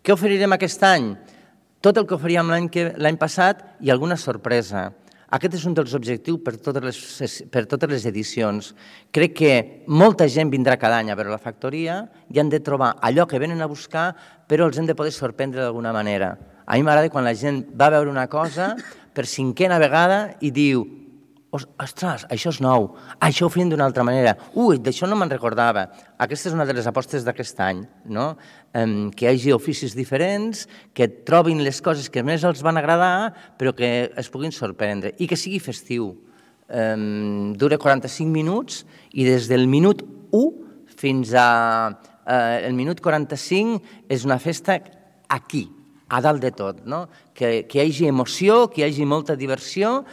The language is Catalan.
Què oferirem aquest any? Tot el que oferíem l'any passat i alguna sorpresa. Aquest és un dels objectius per totes les edicions. Crec que molta gent vindrà cada any a veure la factoria i han de trobar allò que venen a buscar, però els hem de poder sorprendre d'alguna manera. A mi m'agrada quan la gent va a veure una cosa per 5a vegada i diu: ostres, això és nou, això ho fem d'una altra manera, d'això no me'n recordava. Aquesta és una de les apostes d'aquest any, no? Que hi hagi oficis diferents, que trobin les coses que més els van agradar, però que es puguin sorprendre i que sigui festiu. Dura 45 minuts i des del minut 1 fins al minut 45 és una festa aquí, a dalt de tot, no? Que hi hagi emoció, que hi hagi molta diversió